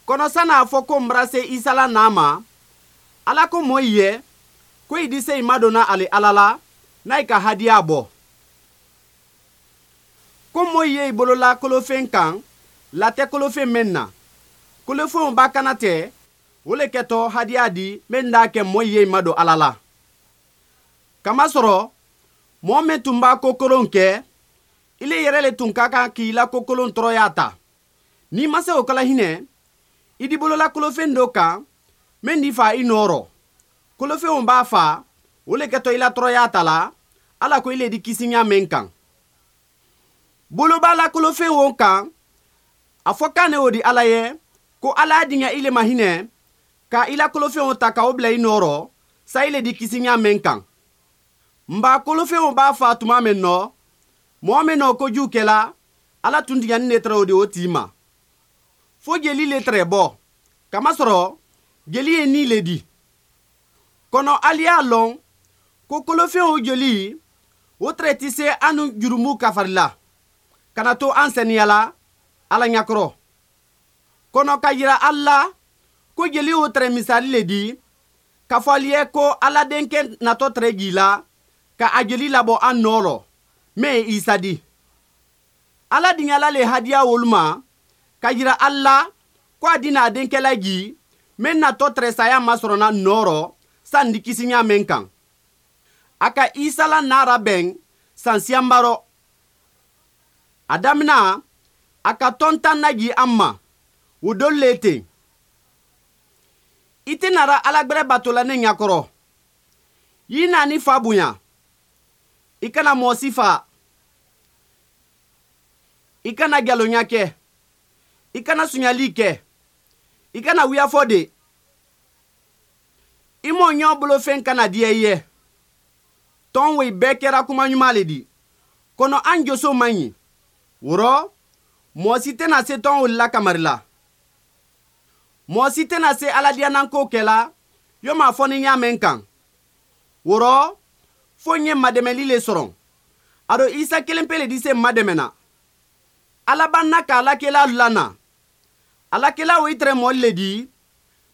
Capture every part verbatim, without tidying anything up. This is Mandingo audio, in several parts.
Kono sani a fo ko m̀ bara se isa la naa ma, ala ko moo i ye ko i dise i ma do na ali ala la, na i ka hadiyaa bo. Ko moo i ye i bolo la kolofeŋ kaŋ, late kolofeŋ meŋ na, kolofeŋo baa kana te, wo le keto hadiyaa di meŋ daa ke moo i ye i ma do ala la. Kamasoro moo meŋ tuŋ baa kokoloŋ ke, i le yere le tuŋ ka kaŋ ka i la kokoloŋ toroyaa ta. Niŋ i ma se wo kala hine, i di bolo la kolofeŋ doo kaŋ, meŋ di faa i nooro. Kolofeŋo baa faa, wo le keto i la toroyaa ta la, ala ko i le di kisi ñaameŋ kaŋ. Bolo baa la kolofeŋ wo kaŋ, a fo kaŋ ne wo di ala ye, ko ala a diŋa i le ma hine, ka i la kolofeŋo ta ka wo bula i nooro, sa i le di kisi ñaameŋ kaŋ. M̀ baa kolofeŋo baa faa tumaa meŋ noo, moo meŋ noo ko juu ke la, ala tuŋ diŋa niŋ ne tere wo di wo tii ma. Fo jeli le tere bo, kamasoro jeli ye nii le di. Kono ali ye a loŋ, ko kolofeŋo jeli, wo tere ti se a nuŋ jurumu kafari la, kana to a ǹ seneya la ala ñakoro. Kono ka yira ali la, ko jeli wo tere misaali le di, ka fo ali ye ko ala denke nato tere jii la, ka a jeli labo a ǹ nooro, meŋ ye isa di. Ala diŋa la le hadiyaa wolu ma, ka yira ali la, ko a di na a denke la jii, meŋ nato tere saayaa masorona ǹ nooro, saŋ di kisi ñaameŋ kaŋ. A ka isa la naara beŋ, saŋ siyambaro. A damina, a ka tontaŋ na jii a ma, wo dolu le teŋ. I te nara alagbere bato la ne ñakoro. Yii naani faa buña. I kana moo si faa. I kana jaloña ke. I kana suñalii ke. I kana wuyafoo de. I moo ñoo bolo feŋ kana diya i ye. Toŋ woyi bee kera kuma ñumaa le di. Kono a ǹ josoo maŋ ñi. Woro, moo si te na se toŋ wolu la kamari la. Moo si te na se aladiyananko ke la, yo maa fo ni ñaameŋ kaŋ. Woro, fo ǹ ye m̀ mademelii le soroŋ. Aduŋ isa kelempe le di se m̀ mademena. Ala baŋ na ka ala kelaalu la na. Ala kelaa wo i tere moolu le di,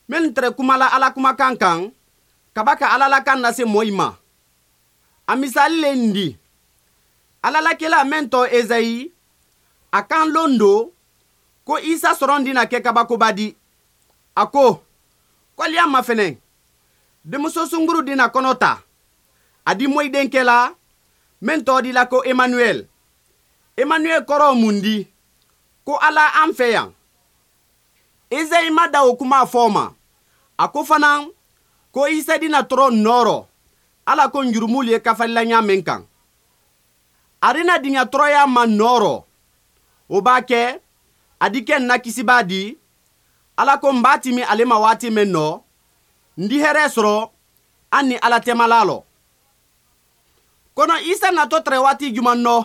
mennu tere kuma la ala kumakaŋ kaŋ, ka ba ka ala la kaŋ na se moyi ma. A misaali le ǹ di. Ala la kelaa meŋ too ezayi, a kaŋ londoo, ko isa soroŋ di na ke kabako ba di. A ko, ko ali a ma feneŋ. Demuso suŋ buru di na kono taa. A di moyi denke la, meŋ too di la ko emanuweli. Emanuweli koroo mu ǹ di, ko ala a ǹ fe yaŋ. Ezayi ma dawo kumaa fo ma. A ko fanaŋ, ko isa di na toro ǹ nooro, ala ko ǹ jurumuulu ye kafali la ñaameŋ kaŋ. A di na diŋa toroyaa ma ǹ nooro. Wo baa ke, a di ke ǹ na kisibaa di. Ala ko m̀ baa timi ale ma waati meŋ no, ǹ di heree soro, a niŋ ala temalaa lo. Kono isa nato tere waati jumaŋ no?